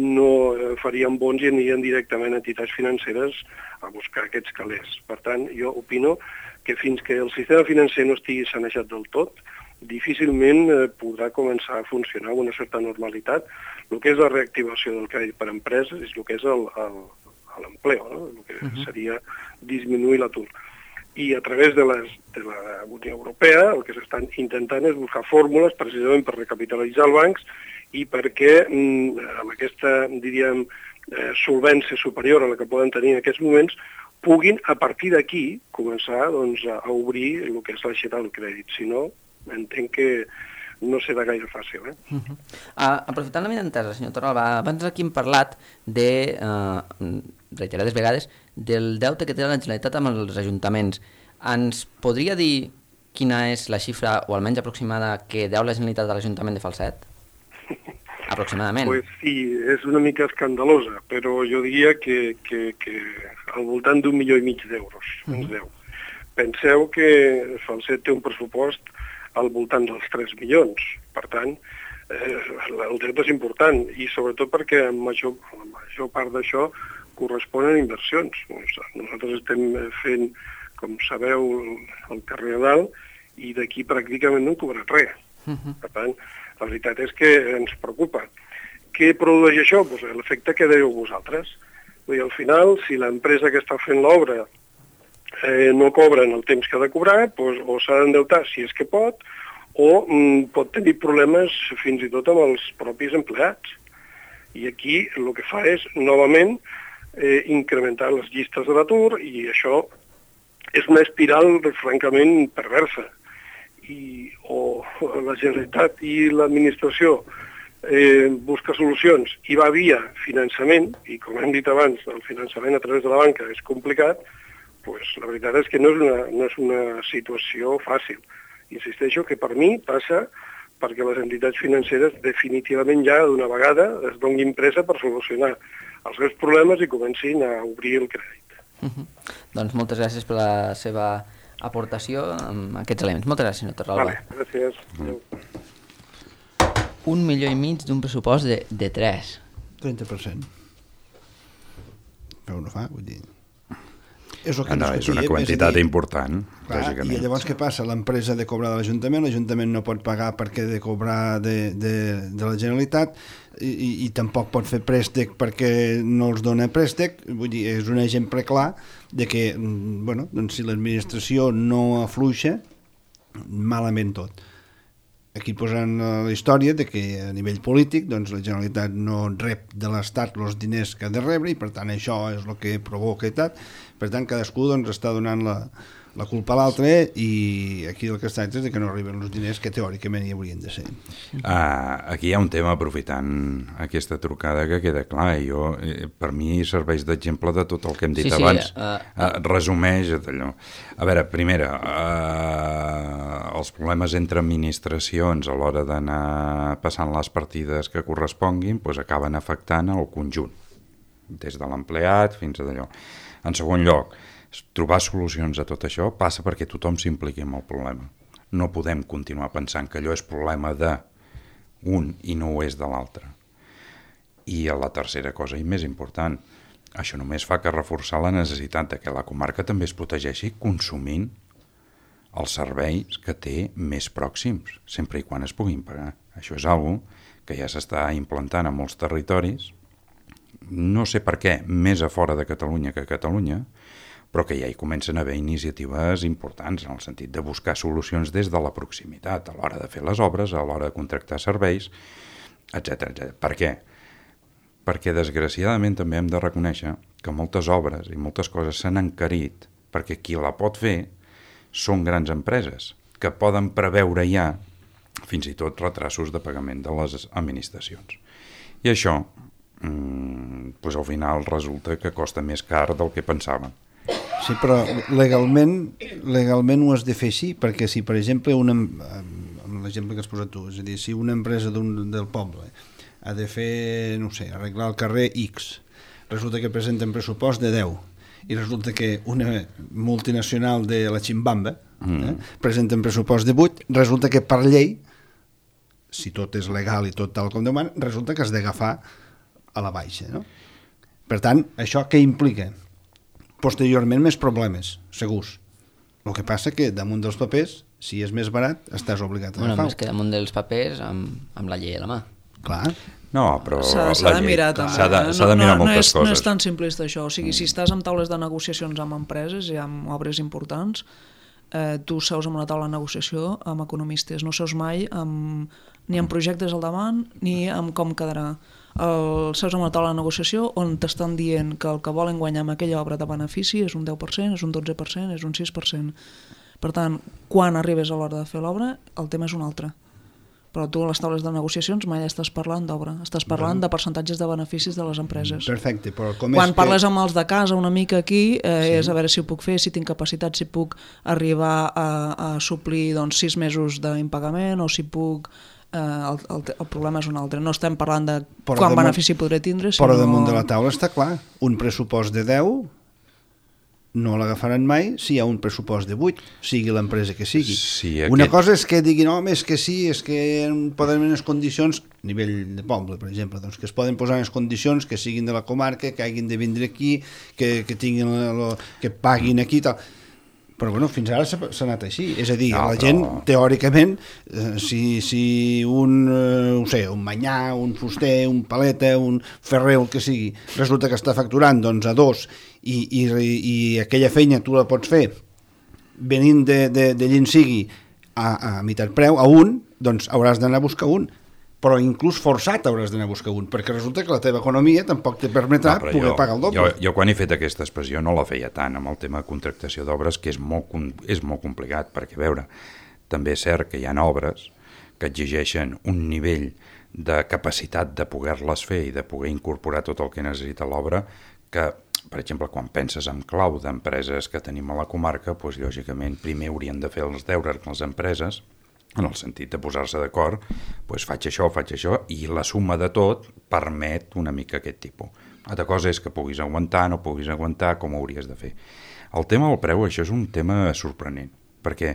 no farien bons i anirien directament a entitats financeres a buscar aquests calés. Per tant, jo opino que fins que el sistema financer no estigui sanejat del tot, difícilment podrà començar a funcionar amb una certa normalitat el que és la reactivació del crèdit per a empreses i el que és l'empleo, no? El que seria disminuir l'atur. I a través de la Unió Europea el que s'estan intentant és buscar fórmules precisament per recapitalitzar els bancs i perquè amb aquesta, diríem, solvència superior a la que poden tenir en aquests moments, puguin a partir d'aquí començar a obrir el que és l'aixeta del crèdit. Si no, entenc que no serà gaire fàcil. Aprofitant la meva entesa, senyor Torralba, abans aquí hem parlat de, reiterades vegades, del deute que té la Generalitat amb els ajuntaments. Ens podria dir quina és la xifra, o almenys aproximada, que deu la Generalitat a l'Ajuntament de Falset? Aproximadament. Pues sí, és una mica escandalosa, però jo diria que al voltant d'1,5 milió d'euros ens deu. Penseu que Falset té un pressupost al voltant dels 3 milions, per tant, el deute és important, i sobretot perquè la major part d'això corresponen a inversions. Nosaltres estem fent, com sabeu, el carrer a dalt, i d'aquí pràcticament no hem cobrat res. Per tant, la veritat és que ens preocupa. Què produeix això? Pues l'efecte que dèieu vosaltres. Vull dir, al final, si l'empresa que està fent l'obra no cobra en el temps que ha de cobrar, pues, o s'ha d'endeutar si és que pot, o pot tenir problemes fins i tot amb els propis empleats. I aquí el que fa és, novament, incrementar les llistes de l'atur, i això és una espiral francament perversa. O la Generalitat i l'administració busca solucions i va via finançament, i com hem dit abans, el finançament a través de la banca és complicat, pues la veritat és que no és una situació fàcil. Insisteixo que per mi passa perquè les entitats financeres definitivament ja d'una vegada es donin pressa per solucionar els seus problemes i comencin a obrir el crèdit. Doncs moltes gràcies per la seva aportació amb aquests elements. Moltes gràcies, senyor Torralba. Vale, gràcies. 1,5 milió d'un pressupost de 3. 30%. Però no fa, vull dir... És una quantitat important, lògicament. I llavors què passa? L'empresa ha de cobrar de l'Ajuntament no pot pagar perquè ha de cobrar de la Generalitat, i tampoc pot fer préstec perquè no els dona préstec. Vull dir, és un exemple clar de que, bueno, doncs si l'administració no afluixa, malament tot. Aquí posen la història de que a nivell polític doncs la Generalitat no rep de l'Estat els diners que ha de rebre, i per tant això és el que provoca i tal. Per tant, cadascú doncs està donant la culpa a l'altre, i aquí el que es tracta és que no arriben els diners que teòricament hi haurien de ser. Aquí hi ha un tema, aprofitant aquesta trucada, que queda clar, i per mi serveix d'exemple de tot el que hem dit abans. Resumeix allò. A veure, primera, els problemes entre administracions a l'hora d'anar passant les partides que corresponguin doncs acaben afectant el conjunt, des de l'empleat fins a d'allò. En segon lloc, trobar solucions a tot això passa perquè tothom s'impliqui en el problema. No podem continuar pensant que allò és problema d'un i no ho és de l'altre. I la tercera cosa, i més important, això només fa que reforçar la necessitat de que la comarca també es protegeixi consumint els serveis que té més pròxims, sempre i quan es puguin pagar. Això és algo que ja s'està implantant a molts territoris, no sé per què, més a fora de Catalunya que a Catalunya, però que ja hi comencen a haver iniciatives importants en el sentit de buscar solucions des de la proximitat, a l'hora de fer les obres, a l'hora de contractar serveis, etc. Per què? Perquè desgraciadament també hem de reconèixer que moltes obres i moltes coses s'han encarit perquè qui la pot fer són grans empreses que poden preveure ja fins i tot retrasos de pagament de les administracions. I això doncs al final resulta que costa més car del que pensàvem. Sí, però legalment ho has de fer així, perquè si, per exemple, amb l'exemple que has posat tu, és a dir, si una empresa del poble ha de fer, no sé, arreglar el carrer X, resulta que presenta un pressupost de 10, i resulta que una multinacional de la Chimbamba presenta un pressupost de 8, resulta que per llei, si tot és legal i tot tal com demana, resulta que has d'agafar a la baixa, no? Per tant, això què implica? Posteriorment més problemes, segurs. El que passa que damunt dels papers, si és més barat, estàs obligat a agafar-ho. Més que damunt dels papers amb la llei a la mà. Clar. No, però s'ha de mirar també. S'ha de mirar moltes coses. No és tan simplista això. O sigui, si estàs amb taules de negociacions amb empreses i amb obres importants, tu seus amb una taula de negociació amb economistes. No seus mai ni amb projectes al davant ni amb com quedarà. Seus amb una taula de negociació on t'estan dient que el que volen guanyar amb aquella obra de benefici és un 10%, és un 12%, és un 6%. Per tant, quan arribes a l'hora de fer l'obra, el tema és un altre. Però tu a les taules de negociacions mai estàs parlant d'obra, estàs parlant de percentatges de beneficis de les empreses. Perfecte, però com quan parles amb els de casa una mica aquí, és a veure si ho puc fer, si tinc capacitat, si puc arribar a suplir 6 mesos d'impagament, o si puc el problema és un altre. No estem parlant de quant benefici podré tindre, sinó... Però damunt de la taula està clar, un pressupost de 10 no l'agafaran mai si hi ha un pressupost de 8, sigui l'empresa que sigui. Sí, una cosa és que diguin, home, és que sí, és que poden haver unes condicions, a nivell de poble, per exemple, doncs, que es poden posar unes condicions que siguin de la comarca, que hagin de vindre aquí, que tinguin que paguin aquí i tal. Però bueno, fins ara s'ha anat així. És a dir, la gent, teòricament, si un manyà, un fuster, un paleta, un ferrer, el que sigui, resulta que està facturant doncs, a 2 i aquella feina tu la pots fer venint de llin sigui a meitat preu, a 1, doncs hauràs d'anar a buscar un. Però inclús forçat hauràs d'anar a buscar un, perquè resulta que la teva economia tampoc te permetrà poder pagar el doble. Jo quan he fet aquesta expressió no la feia tant amb el tema de contractació d'obres, que és molt complicat, perquè, a veure, també és cert que hi ha obres que exigeixen un nivell de capacitat de poder-les fer i de poder incorporar tot el que necessita l'obra, que, per exemple, quan penses en clau d'empreses que tenim a la comarca, doncs, lògicament, primer haurien de fer els deures les empreses, en el sentit de posar-se d'acord, doncs faig això, i la suma de tot permet una mica aquest tipus. Altra cosa és que puguis aguantar, no puguis aguantar, com ho hauries de fer. El tema del preu, això és un tema sorprenent, perquè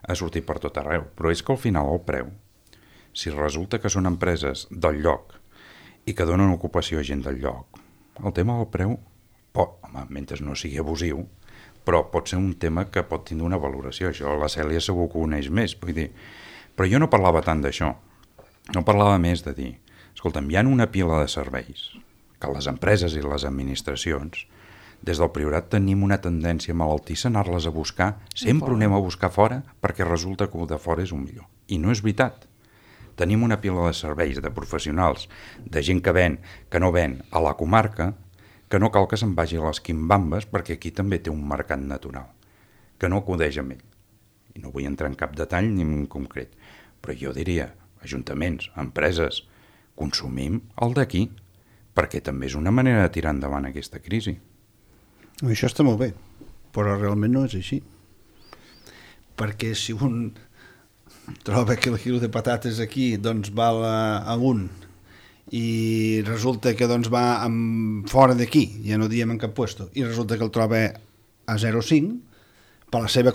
ha sortit per tot arreu, però és que al final el preu, si resulta que són empreses del lloc i que donen ocupació a gent del lloc, el tema del preu, mentre no sigui abusiu, però pot ser un tema que pot tindre una valoració. Això la Cèlia segur que ho coneix més, vull dir. Però jo no parlava tant d'això. No parlava més de dir, escolta'm, hi ha una pila de serveis que les empreses i les administracions, des del Priorat tenim una tendència malaltissa a anar-les a buscar, sempre ho anem a buscar fora perquè resulta que el de fora és un millor. I no és veritat. Tenim una pila de serveis, de professionals, de gent que ven, que no ven a la comarca, que no cal que se'n vagi a les quimbambes perquè aquí també té un mercat natural, que no acudeix amb ell. I no vull entrar en cap detall ni en concret, però jo diria, ajuntaments, empreses, consumim el d'aquí, perquè també és una manera de tirar endavant aquesta crisi. Això està molt bé, però realment no és així. Perquè si un troba que el quilo de patates aquí doncs val a 1 i resulta que doncs va fora d'aquí, ja no diem en cap puesto, i resulta que el troba a 0,5, per la seva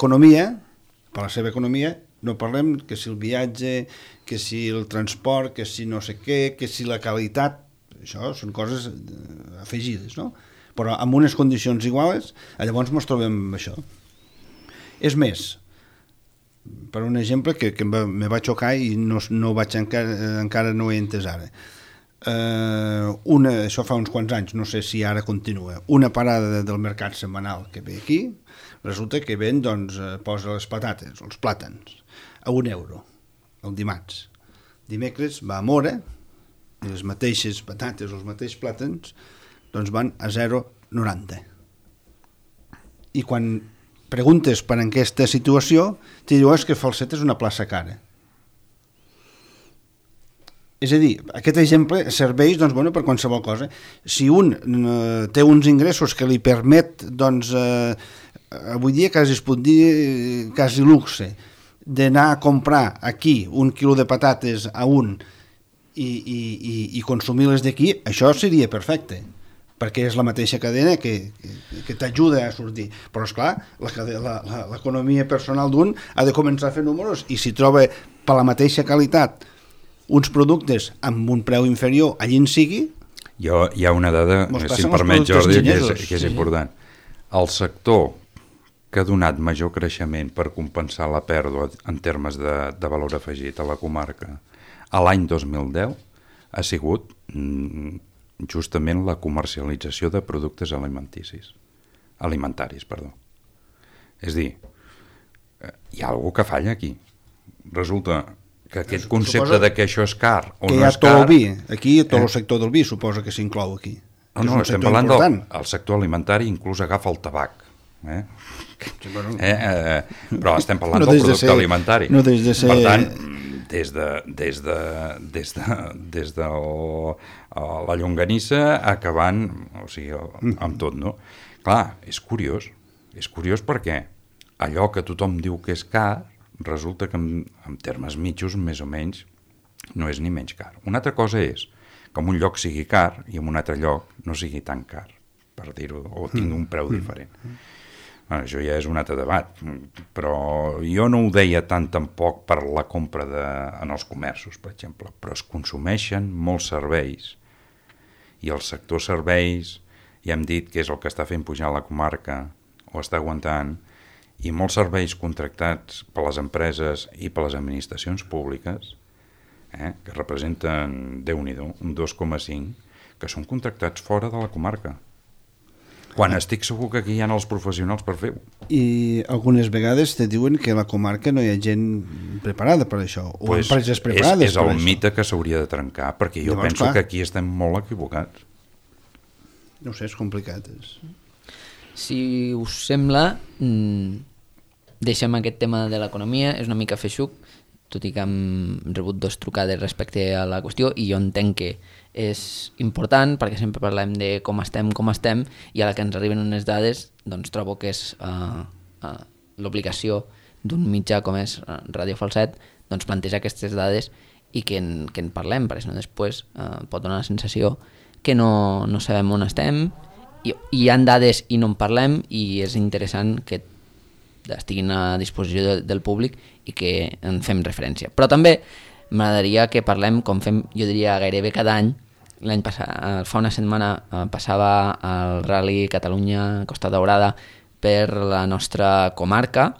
economia, no parlem que si el viatge, que si el transport, que si no sé què, que si la qualitat, això són coses afegides, no? Però amb unes condicions iguals, llavors ens trobem amb això. És més, per un exemple que me va xocar i no vaig encara no he entès ara. Això fa uns quants anys, no sé si ara continua, una parada del mercat setmanal que ve aquí, resulta que ven, doncs, posa les patates, els plàtans, a €1 el dimarts. Dimecres va a Mora i les mateixes patates, els mateixos plàtans, doncs van a 0,90. I quan preguntes per aquesta situació, t'hi diu que Falset és una plaça cara. És a dir, aquest exemple serveix doncs, bueno, per qualsevol cosa. Si un té uns ingressos que li permet, doncs, avui dia quasi es pot dir quasi luxe, d'anar a comprar aquí un quilo de patates a 1 i consumir-les d'aquí, això seria perfecte, perquè és la mateixa cadena que t'ajuda a sortir. Però, esclar, l'economia personal d'un ha de començar a fer números i si troba per la mateixa qualitat uns productes amb un preu inferior allí en sigui... Hi ha una dada, si em permet, Jordi, que és important. El sector que ha donat major creixement per compensar la pèrdua en termes de valor afegit a la comarca a l'any 2010 ha sigut justament la comercialització de productes alimentaris. És a dir, hi ha alguna que falla aquí. Resulta que aquest concepte de que això és car o no és car... Aquí tot el sector del vi suposa que s'inclou aquí. No, estem parlant del sector alimentari, inclús agafa el tabac. Però estem parlant del producte alimentari. No des de ser... Per tant, des de la llonganissa acabant, o sigui, amb tot, no? Clar, és curiós perquè allò que tothom diu que és car resulta que en termes mitjos, més o menys, no és ni menys car. Una altra cosa és que en un lloc sigui car i en un altre lloc no sigui tan car, per dir-ho, o tingui un preu diferent. Bueno, això ja és un altre debat, però jo no ho deia tant tampoc per la compra en els comerços, per exemple, però es consumeixen molts serveis i el sector serveis ja hem dit que és el que està fent pujar la comarca o està aguantant, i molts serveis contractats per les empreses i per les administracions públiques, que representen, Déu-n'hi-do, un 2,5, que són contractats fora de la comarca. Quan estic segur que aquí hi ha els professionals per fer-ho. I algunes vegades te diuen que a la comarca no hi ha gent preparada per això, o pues empreses preparades és el mite que s'hauria de trencar, perquè jo penso que aquí estem molt equivocats. No sé, és complicat. Si us sembla, deixem aquest tema de l'economia, és una mica feixuc, tot i que hem rebut 2 trucades respecte a la qüestió, i jo entenc que és important, perquè sempre parlem de com estem, i a la que ens arriben unes dades, doncs trobo que és l'obligació d'un mitjà com és Ràdio Falset, doncs plantejar aquestes dades i que en parlem, perquè si no després pot donar la sensació que no sabem on estem, i hi ha dades i no en parlem, i és interessant que estiguin a disposició del públic i que en fem referència. Però també m'agradaria que parlem, com fem, jo diria, gairebé cada any. L'any passat, fa una setmana, passava el Rally Catalunya Costa Daurada per la nostra comarca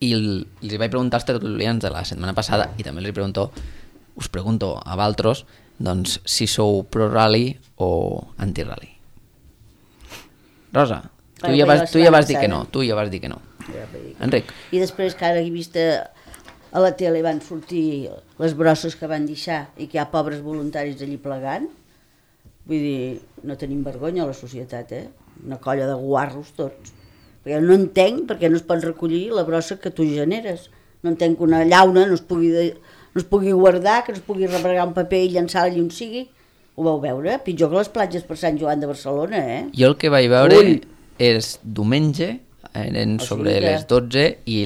i els vaig preguntar als tertulians de la setmana passada, i també us pregunto a vosaltres, doncs, si sou pro-rally o anti-rally. Rosa, tu ja vas dir que no. Enric. I després que ara he vist a la tele van sortir les brosses que van deixar i que hi ha pobres voluntaris allí plegant, vull dir, no tenim vergonya a la societat, una colla de guarros tots, perquè no entenc perquè no es pot recollir la brossa que tu generes, no entenc que una llauna no es pugui guardar, que no es pugui rebregar un paper i llançar allà on sigui. Ho vau veure? Pitjor que les platges per Sant Joan de Barcelona, Jo el que vaig veure és diumenge, eren sobre les 12, i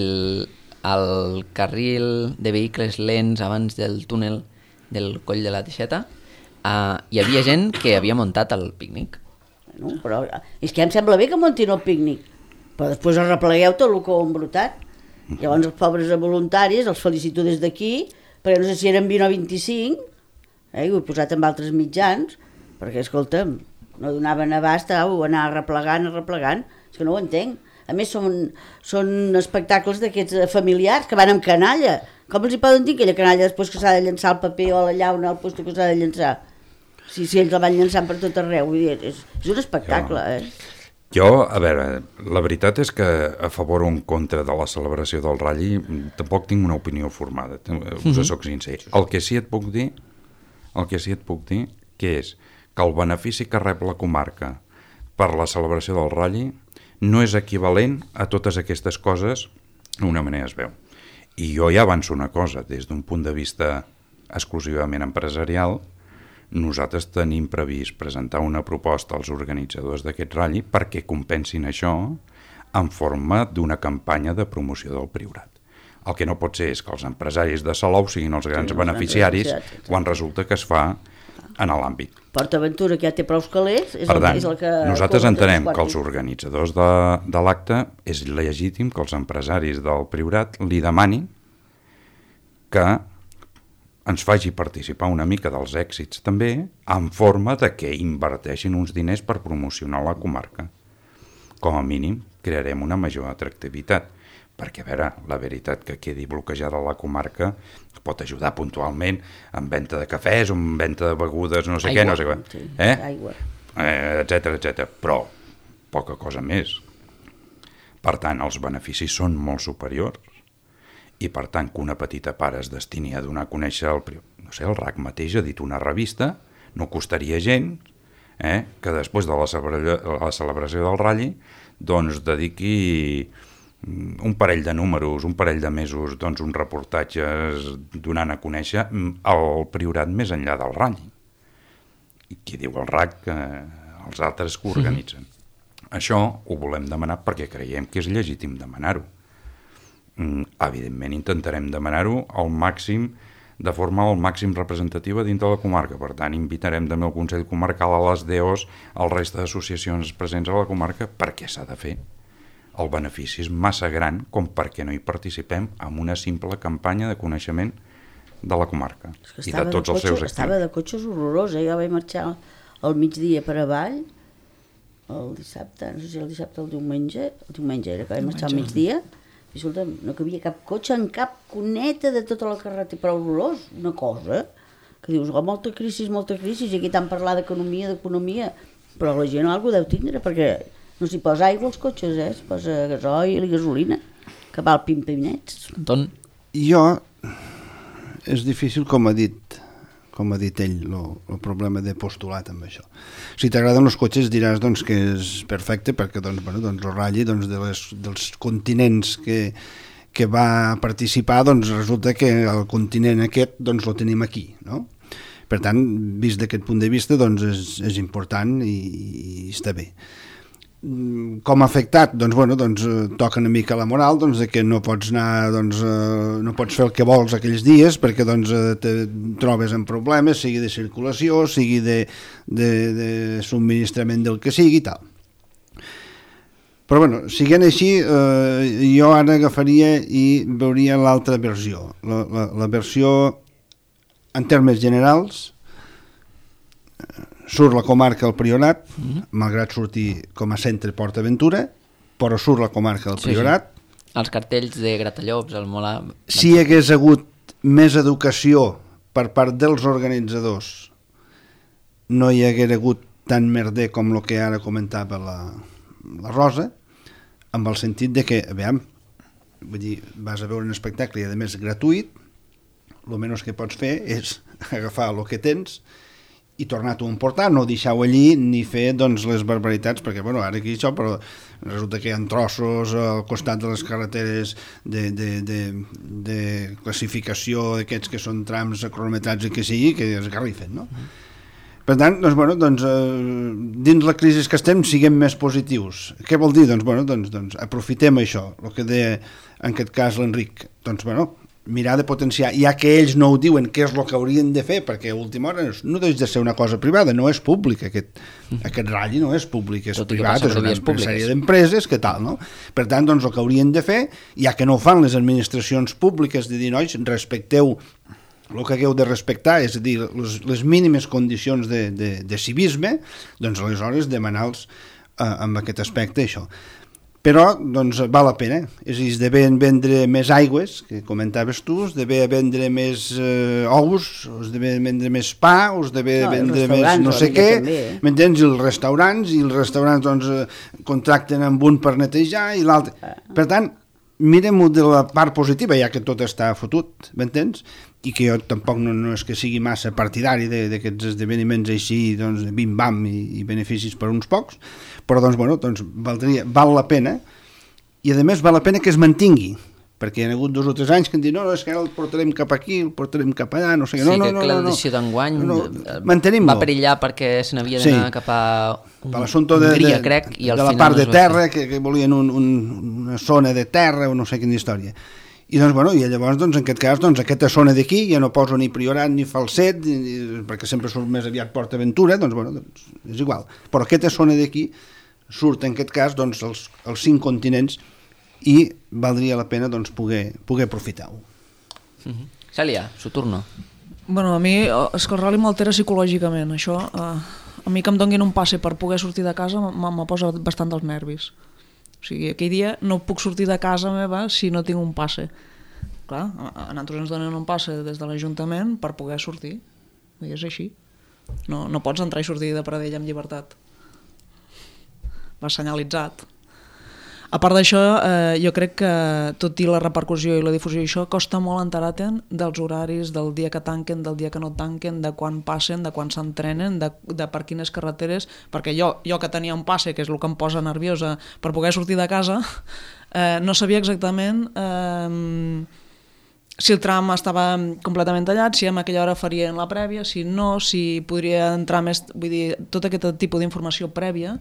el carril de vehicles lents abans del túnel del Coll de la Teixeta hi havia gent que havia muntat el pícnic. Bueno, però és que em sembla bé que muntin el pícnic, però després arreplegueu tot el que ho han embrutat. Llavors els pobres voluntaris els felicito des d'aquí, perquè no sé si eren 20 o 25, i ho he posat amb altres mitjans, perquè, escolta'm, no donaven abast a anar arreplegant, és que no ho entenc. A més, són espectacles d'aquests familiars que van amb canalla. Com els hi poden dir aquella canalla després que s'ha de llançar el paper o la llauna al lloc que s'ha de llançar? Si ells la van llançant per tot arreu, vull dir, és un espectacle, Jo, a veure, la veritat és que a favor o en contra de la celebració del Rally tampoc tinc una opinió formada, us soc sincer. El que sí et puc dir que és que el benefici que rep la comarca per la celebració del Rally no és equivalent a totes aquestes coses d'una manera es veu. I jo ja avanço una cosa, des d'un punt de vista exclusivament empresarial, nosaltres tenim previst presentar una proposta als organitzadors d'aquest Rally perquè compensin això en forma d'una campanya de promoció del Priorat. El que no pot ser és que els empresaris de Salou siguin els grans beneficiaris quan resulta que es fa en l'àmbit. PortAventura, que ja té prou calés, és per tant, el que... Nosaltres entenem que els organitzadors de l'acte és legítim que els empresaris del Priorat li demanin que ens faci participar una mica dels èxits també en forma de que inverteixin uns diners per promocionar la comarca. Com a mínim crearem una major atractivitat, perquè, a veure, la veritat que quedi bloquejada la comarca pot ajudar puntualment en venda de cafès, en venda de begudes, no sé què, etcètera, però poca cosa més. Per tant, els beneficis són molt superiors i, per tant, que una petita part es destini a donar a conèixer el RAC mateix ha dit una revista, no costaria gens que després de la celebració del Rally doncs dediqui un parell de números, un parell de mesos, doncs uns reportatges donant a conèixer el Priorat més enllà del Rally. I qui diu el RAC, els altres que organitzen. Això ho volem demanar perquè creiem que és legítim demanar-ho. Evidentment intentarem demanar-ho al màxim de forma al màxim representativa dintre de la comarca. Per tant, invitarem també el Consell Comarcal, a les DOs, al resta d'associacions presents a la comarca, perquè s'ha de fer. El benefici és massa gran com perquè no hi participem en una simple campanya de coneixement de la comarca i de tots els seus actius. Estava de cotxes horrorós, jo vaig marxar al migdia per avall, el dissabte, no sé si el dissabte o el diumenge era que vaig marxar al migdia, i escolta, no cabia cap cotxe en cap cuneta de tota la carretera, però horrorós, una cosa, que dius, molta crisi, i aquí tant parlar d'economia, però la gent alguna deu tindre, perquè no s'hi posa aigua als cotxes, s'hi posa gasoil i gasolina, que val pim-pimnets. Anton? Jo, és difícil, com ha dit ell, el problema de postulat amb això. Si t'agraden els cotxes diràs doncs, que és perfecte perquè el ratlli dels continents que va participar, doncs resulta que el continent aquest el tenim aquí, no? Per tant, vist d'aquest punt de vista, doncs és important i està bé. Com ha afectat? Toca una mica la moral, de que no pots anar, no pots fer el que vols aquells dies perquè te trobes en problemes, sigui de circulació, sigui de subministrament del que sigui i tal. Però siguent així, jo ara agafaria i veuria l'altra versió. La versió, en termes generals, surt la comarca del Priorat, malgrat sortir com a centre Port Aventura, però surt la comarca del Priorat. Sí. Els cartells de Gratallops, el Molar... Si hi hagués hagut més educació per part dels organitzadors, no hi hagués hagut tant merder com el que ara comentava la Rosa, amb el sentit de que, vas a veure un espectacle i a més gratuït, el menys que pots fer és agafar el que tens i tornar-t'ho a emportar, no deixar-ho allí ni fer les barbaritats, perquè ara aquí això, però resulta que hi ha trossos al costat de les carreteres de classificació d'aquests que són trams cronometrats i que sigui, que es garrifen, no? Per tant, dins la crisi que estem, siguem més positius. Què vol dir? Aprofitem això, el que deia en aquest cas l'Enric, mirar de potenciar, ja que ells no ho diuen què és el que haurien de fer, perquè a última hora no deixa de ser una cosa privada, no és públic, aquest ratll no és públic, és privat, és una sèrie d'empreses, que tal, no? Per tant, el que haurien de fer, ja que no ho fan les administracions públiques, de dir, nois, respecteu el que hagueu de respectar, és a dir, les mínimes condicions de civisme, aleshores demanar-los amb aquest aspecte això. Però, val la pena. És a dir, es d'haver vendre més aigües, que comentaves tu, es d'haver vendre més ous, es d'haver vendre més pa, es d'haver vendre més no sé què, m'entens? I els restaurants contracten amb un per netejar i l'altre. Per tant, mirem-ho de la part positiva, ja que tot està fotut, m'entens? I que jo tampoc no és que sigui massa partidari d'aquests esdeveniments així, bim-bam i beneficis per uns pocs, però val la pena, i a més val la pena que es mantingui, perquè hi ha hagut 2 o 3 anys que han dit, no, és que ara el portarem cap aquí, el portarem cap allà, no sé què, no. Sí, que l'edició d'enguany va perillar perquè se n'havia d'anar cap a Hongria, crec, i al final... De la part de terra, que volien una zona de terra o no sé quina història. I llavors, en aquest cas, aquesta zona d'aquí ja no poso ni Priorat ni Falset, perquè sempre surt més aviat Port Aventura, és igual. Però aquesta zona d'aquí surt, en aquest cas, els 5 continents i valdria la pena poder aprofitar-ho. Cèlia, su turno. A mi és que el rally m'altera psicològicament, això. A mi que em donguin un passe per poder sortir de casa me posa bastant dels nervis. O sigui, aquell dia no puc sortir de casa meva si no tinc un passe. Clar, a nosaltres ens donen un passe des de l'Ajuntament per poder sortir. I és així. No pots entrar i sortir de Pradell amb llibertat. Va senyalitzat. A part d'això, jo crec que tot i la repercussió i la difusió i això, costa molt enterar-te'n dels horaris, del dia que tanquen, del dia que no tanquen, de quan passen, de quan s'entrenen, de per quines carreteres, perquè jo que tenia un passe, que és el que em posa nerviosa per poder sortir de casa, no sabia exactament si el tram estava completament tallat, si en aquella hora farien la prèvia, si no, si podria entrar més... Vull dir, tot aquest tipus d'informació prèvia,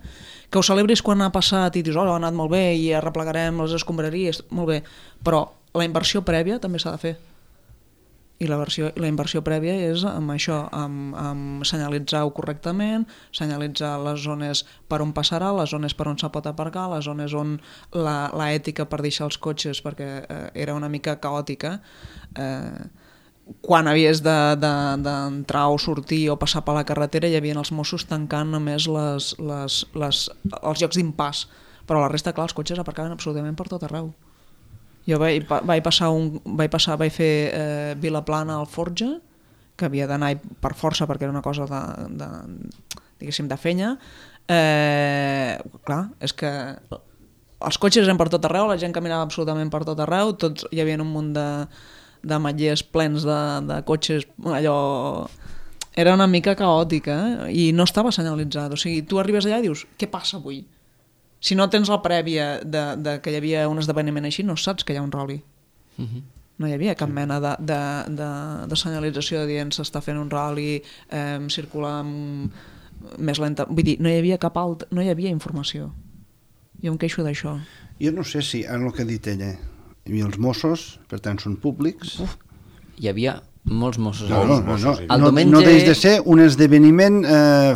que ho celebris quan ha passat i dius, ha anat molt bé i arreplegarem les escombraries, molt bé, però la inversió prèvia també s'ha de fer. I la inversió prèvia és amb això, amb senyalitzar-ho correctament, senyalitzar les zones per on passarà, les zones per on se pot aparcar, les zones on la ètica per deixar els cotxes, perquè era una mica caòtica, quan havies d'entrar o sortir o passar per la carretera hi havia els Mossos tancant només els llocs d'impàs, però la resta, clar, els cotxes aparcaven absolutament per tot arreu. Jo vaig fer Vilaplana al Forja, que havia d'anar per força perquè era una cosa diguéssim, de fenya. Clar, és que els cotxes eren per tot arreu, la gent caminava absolutament per tot arreu, tots hi havia un munt de matllers plens de cotxes, allò... Era una mica caòtica i no estava senyalitzat. O sigui, tu arribes allà i dius, què passa avui? Si no tens la prèvia de que hi havia un esdeveniment així, no saps que hi ha un ral·li. No hi havia cap mena de senyalització de dient s'està fent un ral·li, circular més lenta. Vull dir, no hi havia informació. Jo em queixo d'això. Jo no sé si, en el que ha dit ella, hi havia els Mossos, per tant són públics. Hi havia molts Mossos. No deix de ser un esdeveniment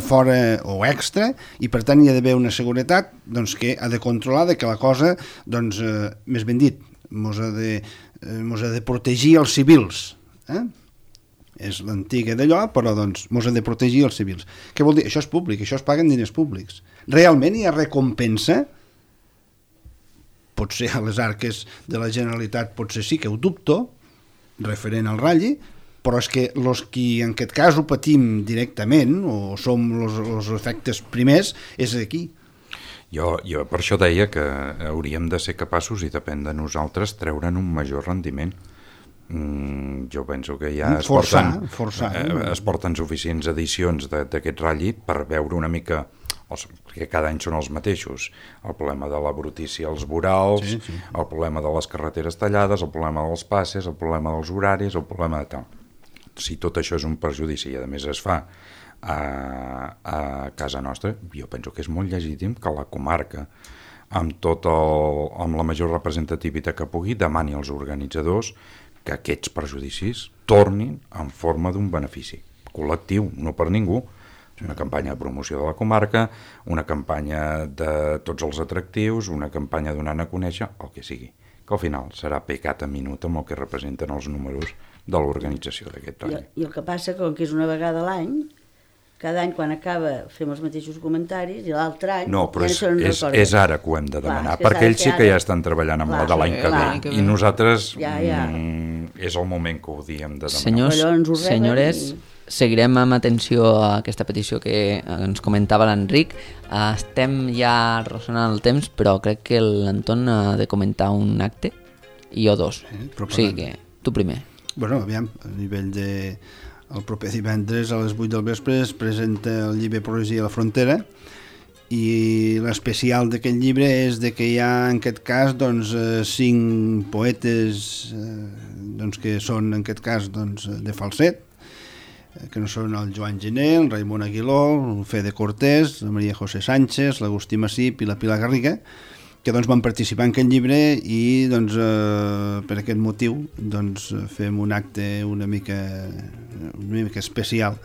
fora o extra, i per tant hi ha d'haver una seguretat que ha de controlar que la cosa, més ben dit, mos ha de protegir els civils. És l'antiga d'allò, però mos ha de protegir els civils. Què vol dir? Això és públic, això es paguen diners públics. Realment hi ha recompensa? Potser a les arques de la Generalitat potser sí que ho dubto, referent al ratlli, però és que els qui en aquest cas ho patim directament o som els efectes primers és aquí. Jo per això deia que hauríem de ser capaços, i depèn de nosaltres, treure'n un major rendiment. Jo penso que ja es porten suficients edicions d'aquest ratlli per veure una mica, perquè cada any són els mateixos, el problema de la brutícia als vorals, sí. El problema de les carreteres tallades, el problema dels passes, el problema dels horaris, el problema de tal. Si tot això és un perjudici i a més es fa a casa nostra, jo penso que és molt legítim que la comarca, amb la major representativitat que pugui, demani als organitzadors que aquests perjudicis tornin en forma d'un benefici col·lectiu, no per ningú. Una campanya de promoció de la comarca, una campanya de tots els atractius, una campanya donant a conèixer, el que sigui, que al final serà pecat a minut amb el que representen els números de l'organització d'aquest any. I el que passa, com que és una vegada a l'any, cada any quan acaba fem els mateixos comentaris i l'altre any... No, però és ara que ho hem de demanar, perquè ells sí que ja estan treballant amb la de l'any que ve, i nosaltres és el moment que ho diem de demanar. Senyores, seguirem amb atenció a aquesta petició que ens comentava l'Enric. Estem ja arrossonant el temps, però crec que l'Anton ha de comentar un acte i jo dos. O sigui que tu primer. Bueno, aviam, a nivell de... El proper divendres a les 8 del vespre es presenta el llibre Poesia a la Frontera, i l'especial d'aquest llibre és que hi ha en aquest cas 5 poetes que són en aquest cas de falset, que no són el Joan Gené, el Raimon Aguiló, el Fede Cortés, la Maria José Sánchez, l'Agustí Massip i la Pilar Garriga, que van participar en aquest llibre, i per aquest motiu fem un acte una mica especial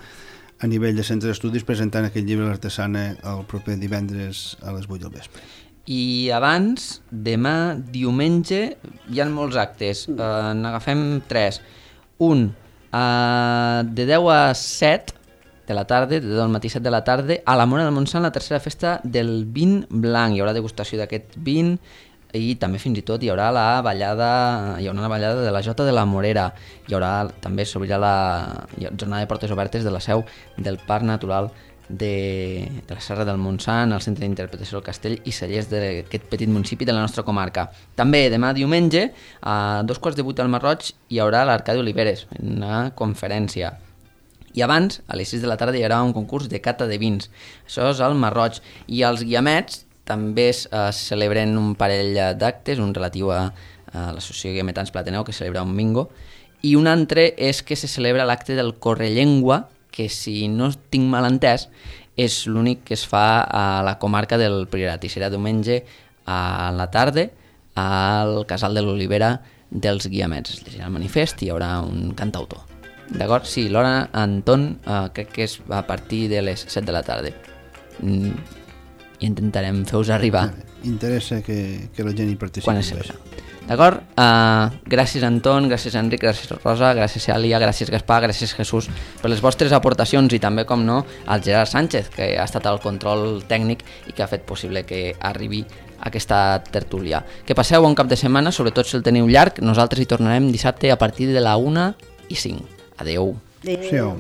a nivell de centre d'estudis presentant aquest llibre a l'Artesana el proper divendres a les 8 del vespre. I abans, demà diumenge hi ha molts actes, n'agafem 3. Un, de 10 a 7 de la tarda, de 10 al matí 7 de la tarda, a la Mora del Montsant, la tercera festa del vin blanc. Hi haurà degustació d'aquest vin i també fins i tot hi haurà una ballada de la Jota de la Morera. També s'obrirà la jornada de portes obertes de la seu del Parc Natural de la Serra del Montsant, al Centre d'Interpretació del Castell i Cellers d'aquest petit municipi de la nostra comarca. També demà diumenge, a 2:15 al Marroig, hi haurà l'Arcadi Oliveres, una conferència. I abans, a les 6 de la tarda, hi haurà un concurs de cata de vins. Això és al Marroig. I als Guiamets també es celebren un parell d'actes, un relatiu a l'Associació Guiametans Plateneu, que celebra un bingo, i un altre és que se celebra l'acte del Correllengua, que si no tinc mal entès, és l'únic que es fa a la comarca del Priorat, i serà diumenge a la tarda al Casal de l'Olivera dels guiamets. Es llegirà el manifest i hi haurà un cantautor. D'acord? Sí, l'hora, Anton, crec que és a partir de les 7 de la tarda. I intentarem fer-vos arribar. Interessa que la gent hi participi. Quan es sabrà. D'acord? Gràcies, Anton, gràcies, Enric, gràcies, Rosa, gràcies, Cèlia, gràcies, Gaspar, gràcies, Jesús, per les vostres aportacions i també, com no, al Gerard Sánchez, que ha estat al control tècnic i que ha fet possible que arribi aquesta tertúlia. Que passeu bon cap de setmana, sobretot si el teniu llarg. Nosaltres hi tornarem dissabte a partir de la 1:05. Adeu. Adéu.